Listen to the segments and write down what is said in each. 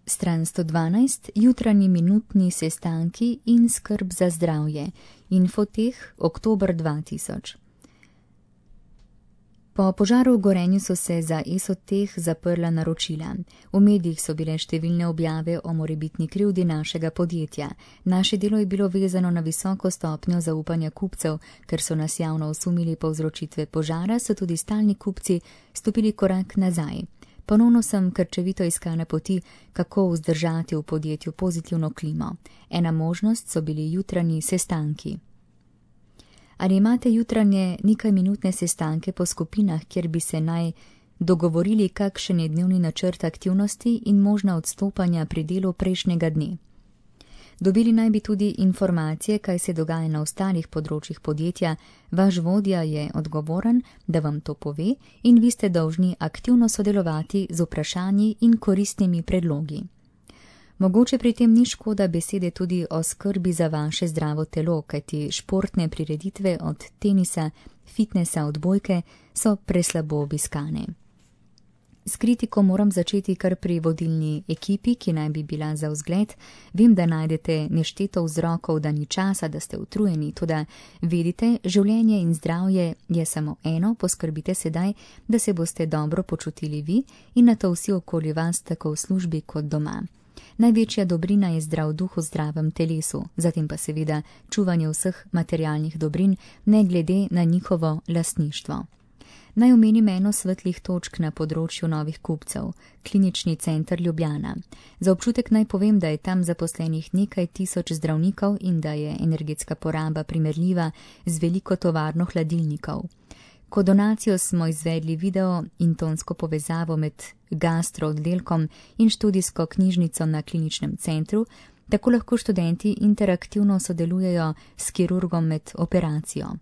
Stran 112, jutranji minutni sestanki in skrb za zdravje. Infoteh, oktober 2000. Po požaru v Gorenju so se za Esoteh zaprla naročila. V medijih so bile številne objave o morebitni krivdi našega podjetja. Naše delo je bilo vezano na visoko stopnjo zaupanja kupcev, ker so nas javno osumili povzročitve požara, so tudi stalni kupci stopili korak nazaj. Ponovno sem krčevito iskala poti, kako vzdržati v podjetju pozitivno klimo. Ena možnost so bili jutranji sestanki. Ali imate jutranje nekajminutne sestanke po skupinah, kjer bi se naj dogovorili, kakšen je dnevni načrt aktivnosti in možna odstopanja pri delu prejšnjega dne? Dobili naj bi tudi informacije, kaj se dogaja na ostalih področjih podjetja. Vaš vodja je odgovoren, da vam to pove in vi ste dolžni aktivno sodelovati z vprašanji in koristnimi predlogi. Mogoče pri tem ni škoda besede tudi o skrbi za vaše zdravo telo, kajti športne prireditve od tenisa, fitnesa, odbojke so preslabo obiskane. S kritiko moram začeti kar pri vodilni ekipi, ki naj bi bila za vzgled. Vem, da najdete nešteto vzrokov, da ni časa, da ste utrujeni, toda vedite, življenje in zdravje je samo eno, poskrbite sedaj, da se boste dobro počutili vi in na to vsi okoli vas, tako v službi kot doma. Največja dobrina je zdrav duh v zdravem telesu, zatem pa seveda čuvanje vseh materialnih dobrin, ne glede na njihovo lastništvo. Naj omenim eno svetlih točk na področju novih kupcev, Klinični center Ljubljana. Za občutek naj povem, da je tam zaposlenih nekaj tisoč zdravnikov in da je energetska poraba primerljiva z veliko tovarno hladilnikov. Kot donacijo smo izvedli video in tonsko povezavo med gastrooddelkom in študijsko knjižnico na kliničnem centru, tako lahko študenti interaktivno sodelujejo s kirurgom med operacijo.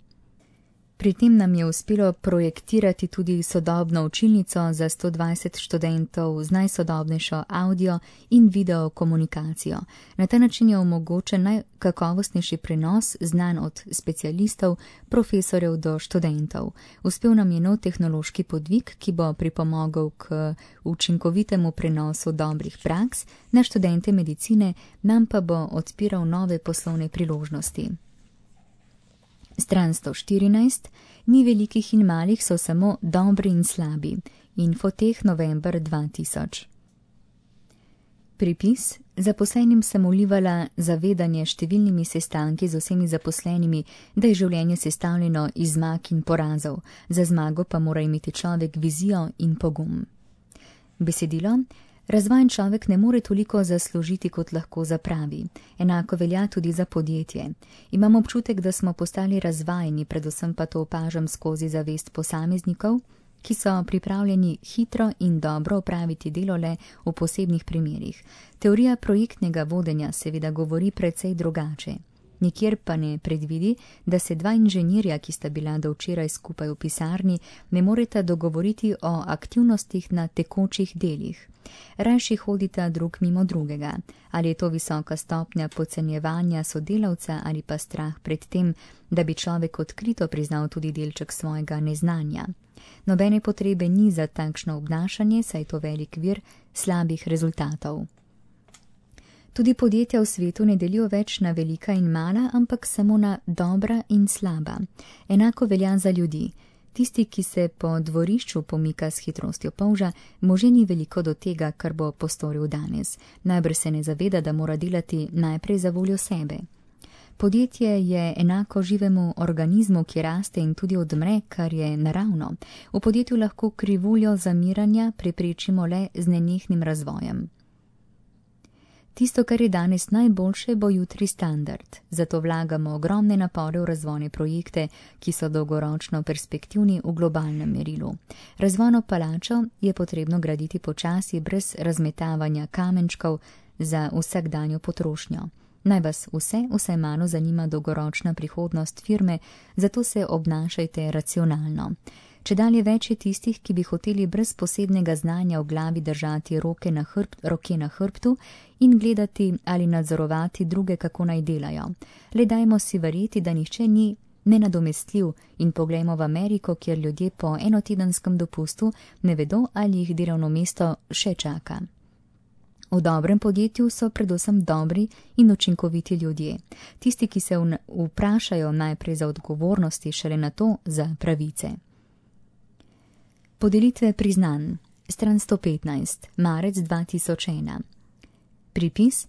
Pri tem nam je uspelo projektirati tudi sodobno učilnico za 120 študentov z najsodobnejšo audio in video komunikacijo. Na ta način je omogočen najkakovostnejši prenos znanj od specialistov, profesorjev do študentov. Uspel nam je nov tehnološki podvig, ki bo pripomogel k učinkovitemu prenosu dobrih praks na študente medicine, nam pa bo odpiral nove poslovne priložnosti. Stran 114. Ni velikih in malih, so samo dobri in slabi. Infoteh, november 2000. Pripis. Zaposlenim sem vlivala zavedanje številnimi sestanki z vsemi zaposlenimi, da je življenje sestavljeno iz zmag in porazov. Za zmago pa mora imeti človek vizijo in pogum. Besedilo. Razvajen človek ne more toliko zaslužiti, kot lahko zapravi. Enako velja tudi za podjetje. Imam občutek, da smo postali razvajeni, predvsem pa to opažam skozi zavest posameznikov, ki so pripravljeni hitro in dobro opraviti delo le v posebnih primerih. Teorija projektnega vodenja seveda govori precej drugače. Nikjer pa ne predvidi, da se dva inženirja, ki sta bila do včeraj skupaj v pisarni, ne moreta dogovoriti o aktivnostih na tekočih delih. Rajši hodita drug mimo drugega. Ali je to visoka stopnja podcenjevanja sodelavca ali pa strah pred tem, da bi človek odkrito priznal tudi delček svojega neznanja. Nobene potrebe ni za takšno obnašanje, saj je to velik vir slabih rezultatov. Tudi podjetja v svetu ne delijo več na velika in mala, ampak samo na dobra in slaba. Enako velja za ljudi. Tisti, ki se po dvorišču pomika s hitrostjo polža, mu že ni veliko do tega, kar bo postoril danes. Najbrž se ne zaveda, da mora delati najprej za voljo sebe. Podjetje je enako živemu organizmu, ki raste in tudi odmre, kar je naravno. V podjetju lahko krivuljo zamiranja preprečimo le z nenehnim razvojem. Tisto, kar je danes najboljše, bo jutri standard. Zato vlagamo ogromne napore v razvojne projekte, ki so dolgoročno perspektivni v globalnem merilu. Razvojno palačo je potrebno graditi počasi, brez razmetavanja kamenčkov za vsakdanjo potrošnjo. Naj vas vsaj malo zanima dolgoročna prihodnost firme, zato se obnašajte racionalno. Čedalje več je tistih, ki bi hoteli brez posebnega znanja v glavi držati roke na hrbtu in gledati ali nadzorovati druge, kako naj delajo. Le dajmo si verjeti, da nihče ni nenadomestljiv in poglejmo v Ameriko, kjer ljudje po enotedenskem dopustu ne vedo, ali jih delovno mesto še čaka. V dobrem podjetju so predvsem dobri in učinkoviti ljudje. Tisti, ki se vprašajo najprej za odgovornosti, šele nato za pravice. Podelitve priznanj. Stran 115. Marec 2001. Pripis.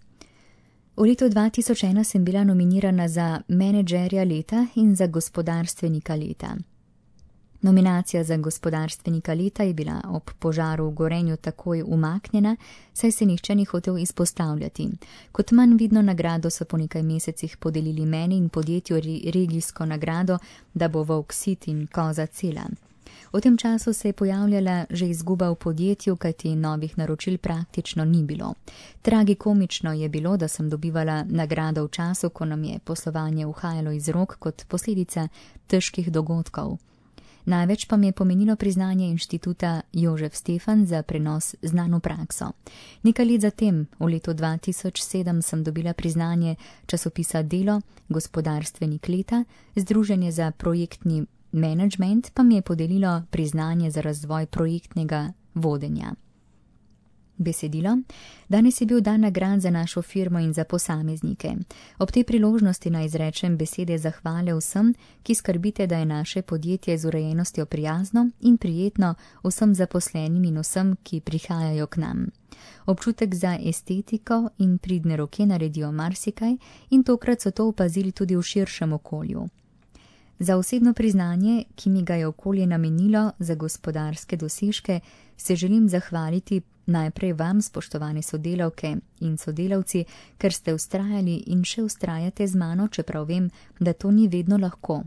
V letu 2001 sem bila nominirana za menedžerja leta in za gospodarstvenika leta. Nominacija za gospodarstvenika leta je bila ob požaru v Gorenju takoj umaknjena, saj se nihče ni hotel izpostavljati. Kot manj vidno nagrado so po nekaj mesecih podelili meni in podjetju regijsko nagrado, da bo volk sit in koza cela. V tem času se je pojavljala že izguba v podjetju, kajti novih naročil praktično ni bilo. Tragikomično je bilo, da sem dobivala nagrado v času, ko nam je poslovanje uhajalo iz rok kot posledica težkih dogodkov. Največ pa mi je pomenilo priznanje Inštituta Jožef Stefan za prenos znano prakso. Nekaj let zatem, v letu 2007, sem dobila priznanje časopisa Delo, gospodarstvenik leta, Združenje za projektni menedžment pa mi je podelilo priznanje za razvoj projektnega vodenja. Besedilo. Danes je bil dan nagrad za našo firmo in za posameznike. Ob tej priložnosti naj izrečem besede zahvale vsem, ki skrbite, da je naše podjetje z urejenostjo prijazno in prijetno vsem zaposlenim in vsem, ki prihajajo k nam. Občutek za estetiko in pridne roke naredijo marsikaj in tokrat so to opazili tudi v širšem okolju. Za osebno priznanje, ki mi ga je okolje namenilo za gospodarske dosežke, se želim zahvaliti najprej vam, spoštovane sodelavke in sodelavci, ker ste vztrajali in še vztrajate z mano, čeprav vem, da to ni vedno lahko.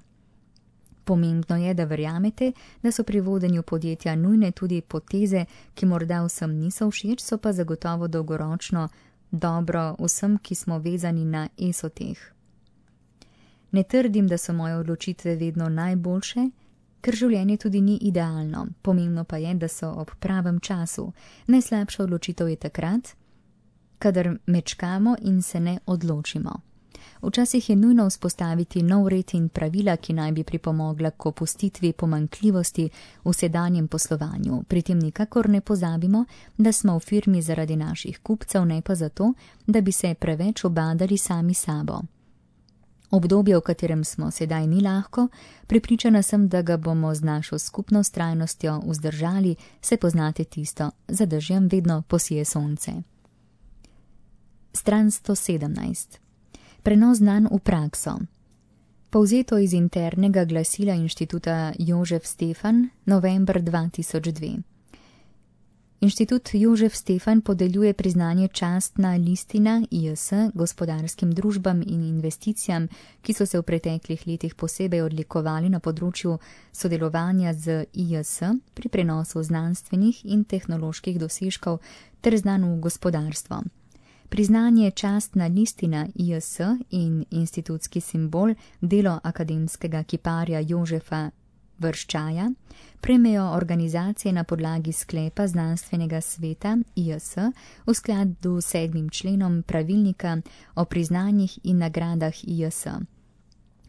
Pomembno je, da verjamete, da so pri vodenju podjetja nujne tudi poteze, ki morda vsem niso všeč, so pa zagotovo dolgoročno dobro vsem, ki smo vezani na ESOTEH. Ne trdim, da so moje odločitve vedno najboljše, ker življenje tudi ni idealno. Pomembno pa je, da so ob pravem času. Najslabša odločitev je takrat, kadar mečkamo in se ne odločimo. Včasih je nujno vzpostaviti nov red in pravila, ki naj bi pripomogla k opustitvi pomanjkljivosti v sedanjem poslovanju. Pri tem nikakor ne pozabimo, da smo v firmi zaradi naših kupcev, ne pa zato, da bi se preveč obadali sami sabo. Obdobje, v katerem smo sedaj, ni lahko, prepričana sem, da ga bomo z našo skupno vztrajnostjo vzdržali, se poznate tisto, za dežjem vedno posije sonce. Stran 117. Prenos znanj v prakso. Povzeto iz internega glasila Inštituta Jožef Stefan, november 2002. Inštitut Jožef Stefan podeljuje priznanje častna listina IS gospodarskim družbam in investicijam, ki so se v preteklih letih posebej odlikovali na področju sodelovanja z IS pri prenosu znanstvenih in tehnoloških dosežkov ter znanj v gospodarstvo. Priznanje častna listina IS in institutski simbol delo akademskega kiparja Jožefa Vrščaja prejmejo organizacije na podlagi sklepa znanstvenega sveta IS v skladu s 7. členom pravilnika o priznanjih in nagradah IS.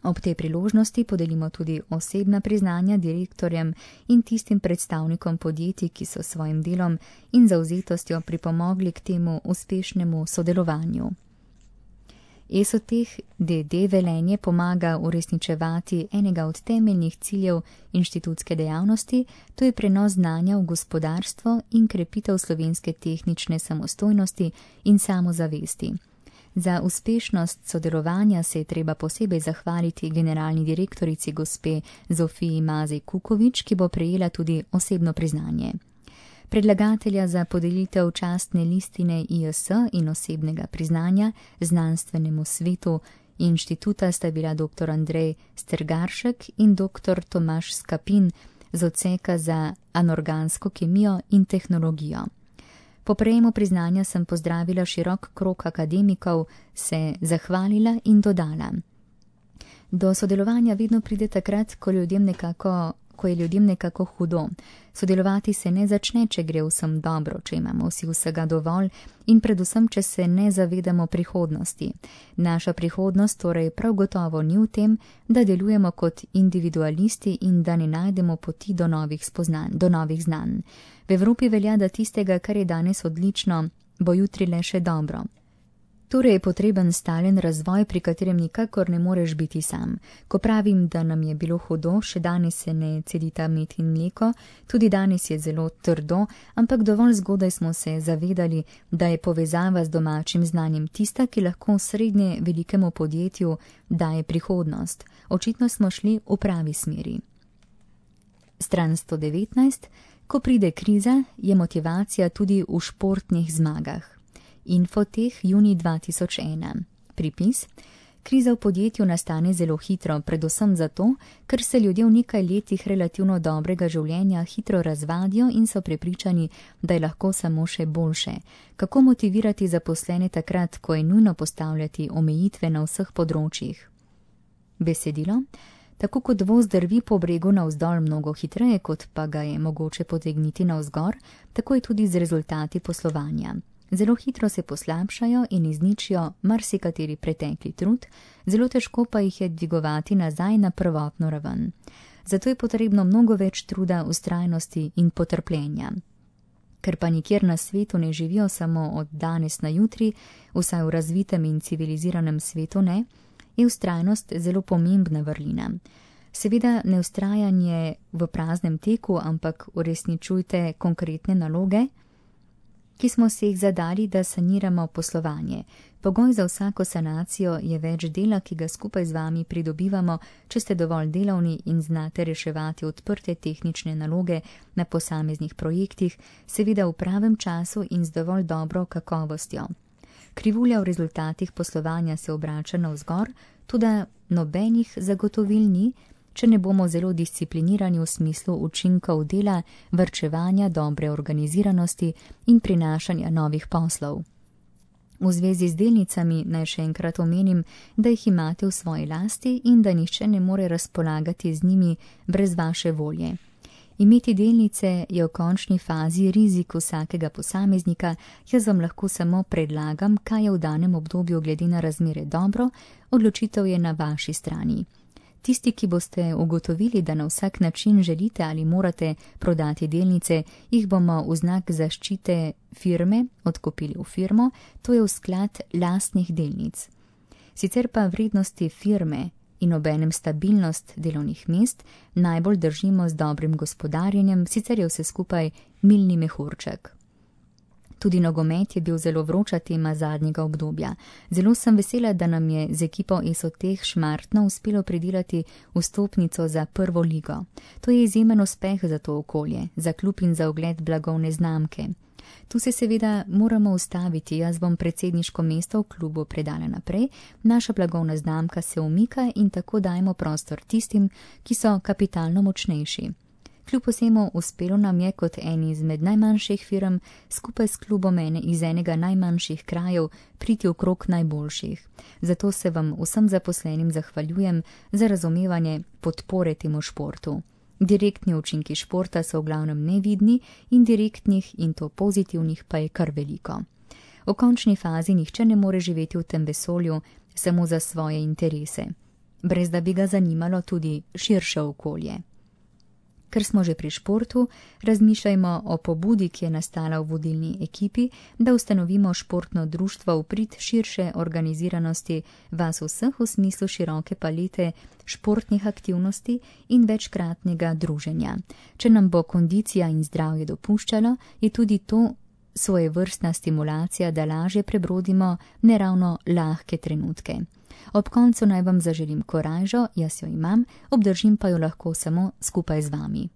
Ob tej priložnosti podelimo tudi osebna priznanja direktorjem in tistim predstavnikom podjetij, ki so svojim delom in zavzetostjo pripomogli k temu uspešnemu sodelovanju. ESOTEH d.d. Velenje pomaga uresničevati enega od temeljnih ciljev inštitutske dejavnosti, to je prenos znanja v gospodarstvo in krepitev slovenske tehnične samostojnosti in samozavesti. Za uspešnost sodelovanja se je treba posebej zahvaliti generalni direktorici gospe Zofiji Mazej Kukovič, ki bo prejela tudi osebno priznanje. Predlagatelja za podelitev častne listine IS in osebnega priznanja znanstvenemu svetu inštituta sta bila dr. Andrej Stergaršek in dr. Tomaž Skapin z odseka za anorgansko kemijo in tehnologijo. Po prejemu priznanja sem pozdravila širok krog akademikov, se zahvalila in dodala. Do sodelovanja vedno pride takrat, ko je ljudem nekako hudo. Sodelovati se ne začne, če gre vsem dobro, če imamo vsi vsega dovolj in predvsem, če se ne zavedamo prihodnosti. Naša prihodnost torej prav gotovo ni v tem, da delujemo kot individualisti in da ne najdemo poti do novih spoznanj, do novih znanj. V Evropi velja, da tistega, kar je danes odlično, bo jutri le še dobro. Torej je potreben stalen razvoj, pri katerem nikakor ne moreš biti sam. Ko pravim, da nam je bilo hudo, še danes se ne cedita med in mleko, tudi danes je zelo trdo, ampak dovolj zgodaj smo se zavedali, da je povezava z domačim znanjem tista, ki lahko srednje velikemu podjetju daje prihodnost. Očitno smo šli v pravi smeri. Stran 119. Ko pride kriza, je motivacija tudi v športnih zmagah. Infoteh, junij 2001. Pripis. Kriza v podjetju nastane zelo hitro, predvsem zato, ker se ljudje v nekaj letih relativno dobrega življenja hitro razvadijo in so prepričani, da je lahko samo še boljše. Kako motivirati zaposlene takrat, ko je nujno postavljati omejitve na vseh področjih? Besedilo. Tako kot voz drvi po bregu navzdol mnogo hitreje, kot pa ga je mogoče potegniti navzgor, tako je tudi z rezultati poslovanja. Zelo hitro se poslabšajo in izničijo marsikateri pretekli trud, zelo težko pa jih je dvigovati nazaj na prvotno raven. Zato je potrebno mnogo več truda, vztrajnosti in potrpljenja. Ker pa nikjer na svetu ne živijo samo od danes na jutri, vsaj v razvitem in civiliziranem svetu ne, je vztrajnost zelo pomembna vrlina. Seveda ne vztrajanje v praznem teku, ampak uresničujte konkretne naloge, ki smo si jih zadali, da saniramo poslovanje. Pogoj za vsako sanacijo je več dela, ki ga skupaj z vami pridobivamo, če ste dovolj delavni in znate reševati odprte tehnične naloge na posameznih projektih, seveda v pravem času in z dovolj dobro kakovostjo. Krivulja v rezultatih poslovanja se obrača navzgor, tudi nobenih zagotovil ni, če ne bomo zelo disciplinirani v smislu učinkov dela, varčevanja, dobre organiziranosti in prinašanja novih poslov. V zvezi z delnicami naj še enkrat omenim, da jih imate v svoji lasti in da nihče ne more razpolagati z njimi brez vaše volje. Imeti delnice je v končni fazi rizik vsakega posameznika, jaz vam lahko samo predlagam, kaj je v danem obdobju glede na razmere dobro, odločitev je na vaši strani. Tisti, ki boste ugotovili, da na vsak način želite ali morate prodati delnice, jih bomo v znak zaščite firme odkupili v firmo, to je v sklad lastnih delnic. Sicer pa vrednosti firme in obenem stabilnost delovnih mest najbolj držimo z dobrim gospodarjenjem, sicer je vse skupaj milni mehurček. Tudi nogomet je bil zelo vroča tema zadnjega obdobja. Zelo sem vesela, da nam je z ekipo ESOTEH Šmartno uspelo pridelati vstopnico za prvo ligo. To je izjemen uspeh za to okolje, za klub in za ugled blagovne znamke. Tu se seveda moramo ustaviti, jaz bom predsedniško mesto v klubu predala naprej, naša blagovna znamka se umika in tako dajemo prostor tistim, ki so kapitalno močnejši. Kljub vsemu uspelo nam je kot eni izmed najmanjših firm skupaj s klubom iz enega najmanjših krajev priti v krog najboljših. Zato se vam vsem zaposlenim zahvaljujem za razumevanje podpore temu športu. Direktni učinki športa so v glavnem nevidni, indirektnih in to pozitivnih pa je kar veliko. V končni fazi nihče ne more živeti v tem vesolju samo za svoje interese, brez da bi ga zanimalo tudi širše okolje. Ker smo že pri športu, razmišljajmo o pobudi, ki je nastala v vodilni ekipi, da ustanovimo športno društvo v prid širše organiziranosti vas vseh v smislu široke palete športnih aktivnosti in večkratnega druženja. Če nam bo kondicija in zdravje dopuščalo, je tudi to svojevrstna stimulacija, da lažje prebrodimo neravno lahke trenutke. Ob koncu naj vam zaželim korajžo, jaz jo imam, obdržim pa jo lahko samo skupaj z vami.